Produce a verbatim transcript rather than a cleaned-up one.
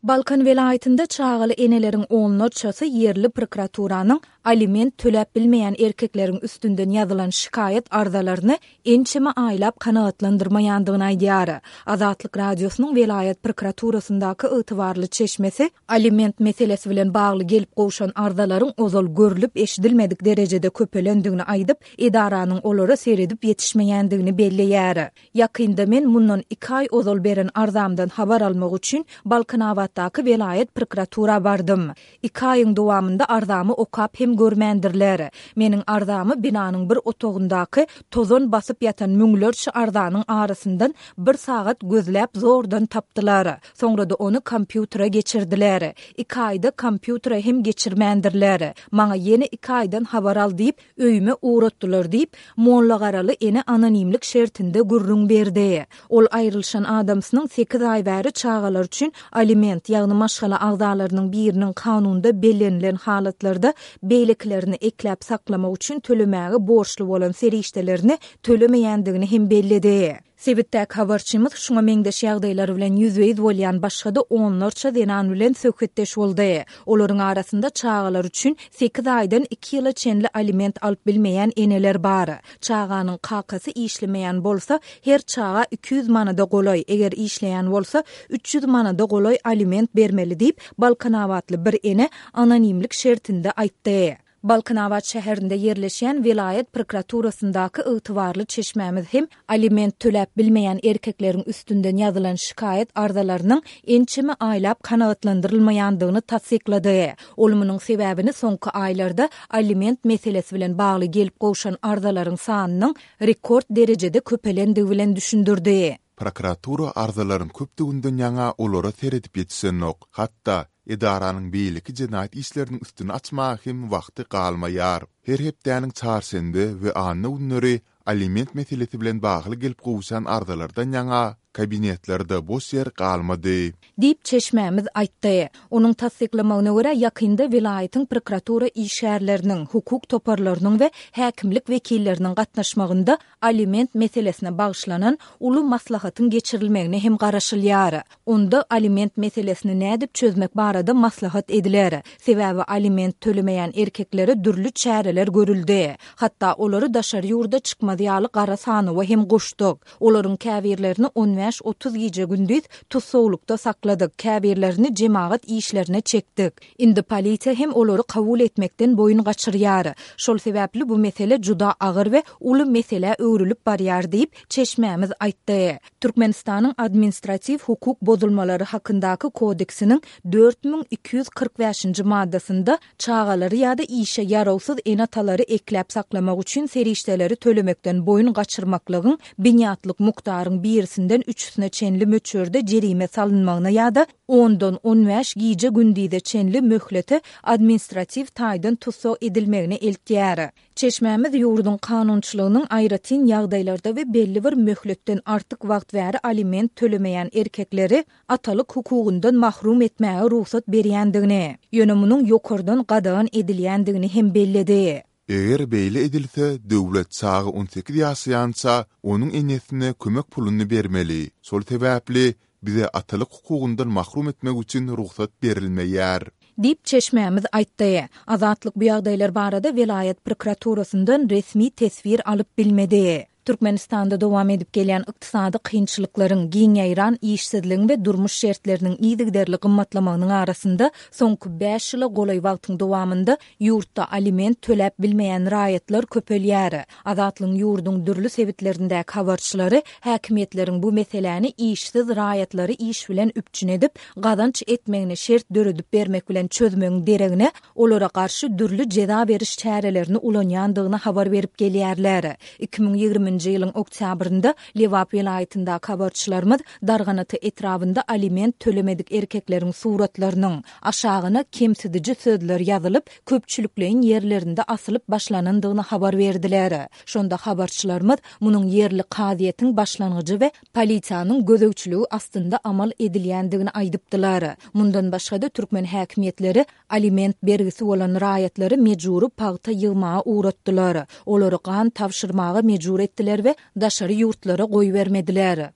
Balkan welaýatynda çagaly eneleriň onlarçasy ýerli prokuraturanyň aliment töläp bilmeýän erkekleriň üstünden ýazylan şikaýat arzalaryny ençeme aýlap kanagatlandyrmaýandygyny aýdýar. Azatlyk Radiosynyň welaýat prokuraturasyndaky ygtybarly çeşmesi aliment meselesi bilen bagly gelip gowşan arzalaryň ozal görlüp eşidilmedik derejede köpelendigini aýdyp, edaranyň olara seredip ýetişmeýändigini belleýär. Ýakynda men mundan iki aý ozal beren arzamdan habar almak üçin Balkanabatdaky welaýat prokuratura bardym. Iki aýyň dowamynda arzamy okap hem görmändirler. Meniň arzamy binanyň bir otagyndaky tozan basyp ýatan müňlerçe arzanyň arasyndan bir sagat gözläp zordan tapdylar. Soňra-da ony kompýutere geçirdiler. Iki aýda kompýutere hem geçirmändirler. Maňa ýene iki aýdan habar al diýip, öýüme ugratdylar diýip, Mollagaraly ene anonimlik şertinde gürrüň berdi. Ol aýrylyşan adamsynyň sekiz aý bäri çagalar üçin aliment, ýagny maşgala agzalarynyň biriniň kanunda bellenilen halatlarda beýlekilerini ekläp saklamak üçin tölemäge borçly bolan serişdelerini tölemeýändigini hem belledi. Sebitdäki habarçymyz şuňa meňzeş ýagdaýlar bilen ýüzbe-ýüz bolýan başga-da onlarça zenan bilen söhbetdeş boldy. Olaryň arasynda çagalar üçin sekiz aýdan iki ýyla çenli aliment alyp bilmeýän eneler bar. Çaganyň kakasy işlemeýän bolsa, her çaga iki ýüz manada golaý, eger işleýän bolsa, üç ýüz manada golaý aliment bermeli diýip, balkanabatly bir ene anonimlik şertinde aýtdy. Balkanabat şäherinde ýerleşýän welaýat prokuraturasyndaky ygtybarly çeşmämiz hem aliment töläp bilmeýän erkekleriň üstünden ýazylan şikaýat arzalarynyň ençeme aýlap kanagatlandyrylmaýandygyny tassyklady. Ol munuň sebäbini soňky aýlarda aliment meselesi bilen bagly gelip gowşan arzalaryň sanynyň rekord derejede köpelendigi bilen düşündirdi. Prokuratura arzalaryň köpdüginden ýaňa olara seredip ýetişenok. Hatda edaranyň beýleki jenaýat işleriniň üstüni açmaga hem wagty galmaýar. Her hepdäniň çarşenbe we anna günleri aliment meselesi bilen bagly gelip gowşan arzalardan ýaňa kabinetlerde boş ýer galmady. Diýip, çeşmämiz aýtdy. Onuň tassyklamagyna görä, ýakynda welaýatyň prokuratura işgärleriniň, hukuk toparlarynyň we häkimlik wekilleriniň gatnaşmagynda aliment meselesine bagyşlanan uly maslahatyň geçirilmegine hem garaşylýar. Onda aliment meselesini nädip çözmek barada maslahat ediler. Sebäbi aliment tölemeýän erkeklere dürli çäreler görüldi. Hatda olary daşary ýurda çykmaz ýaly gara sanawa hem goşduk. Olaryň käbirlerini on bäş-otuz gije-gündiz tussaglykda sakladyk, käbirlerini jemagat işlerine çekdik. Indi polisiýa hem olary kabul etmekden boýun gaçyrýar. Şol sebäpli bu mesele juda agyr we uly meselä öwrülip barýar diýip, çeşmämiz aýtdy. Türkmenistanyň administratiw hukuk bozulmalary hakyndaky kodeksiniň dört müň iki ýüz kyrk bäşinji maddasynda çagalary ýa-da işe ýarawsyz ene-atalary ekläp saklamak üçin serişdeleri tölemekden boýun gaçyrmaklygyň binýatlyk mukdaryň birisinden üçüsine çenli möçberde jerime salynmagyna ýa-da ondan on bäş gije-gündize çenli möhlete administratiw taýdan tussag edilmegine eltýär. Çeşmämiz ýurduň kanunçylygynyň aýratyn ýagdaýlarda we belli bir möhletden artyk wagt bäri aliment tölemeýän erkekleri atalyk hukugyndan mahrum etmäge rugsat berýändigini, ýöne munuň ýokardan gadagan edilýändigini hem belledi. Eger beýle edilse, döwlet çaga on sekiz ýaşaýança onuň enesine kömek puluny bermeli. Şol sebäpli bize atalyk hukugyndan mahrum etmek üçin rugsat berilmeýär. Diýip, çeşmämiz aýtdy. Azatlyk bu ýagdaýlar barada welaýat prokuraturasyndan resmi teswir alyp bilmedi. Türkmenistanda dowam edip gelýän ykdysady kynçylyklaryň, giň ýaýran işsizligiň we durmuş şertleriniň yzygiderli gymmatlamagynyň arasynda soňky bäş ýyla golaý wagtyň dowamynda ýurtda aliment töläp bilmeýän raýatlar köpelýär. Azatlygyň ýurduň dürli sebitlerindäki habarçylary häkimiýetleriň bu meseläni işsiz raýatlary iş bilen üpjün edip, gazanç etmegine şert döredip bermek bilen çözmegiň deregine olara garşy dürli jeza beriş çärelerini ulanýandygyny habar berip gelýärler. Iki müň ýigriminji ýylyň oktýabrynda Lebap welaýatyndaky habarçylarymyz Darganata etrabynda aliment tölemedik erkekleriň suratlarynyň aşagyna kemsidiji sözler ýazylyp, köpçülikleýin ýerlerinde asylyp başlanandygyny habar berdiler. Şonda habarçylarymyz munuň ýerli kazyýetiň başlangyjy we polisiýanyň gözegçiligi astynda amal edilýändigini aýdypdylar. Mundan başga-da türkmen häkimiýetleri aliment bergisi bolan raýatlary mejbury pagta ýygmaga ugratdylar. Olary gan tabşyrmaga mejbur etdiler we daşary ýurtlara goýbermediler.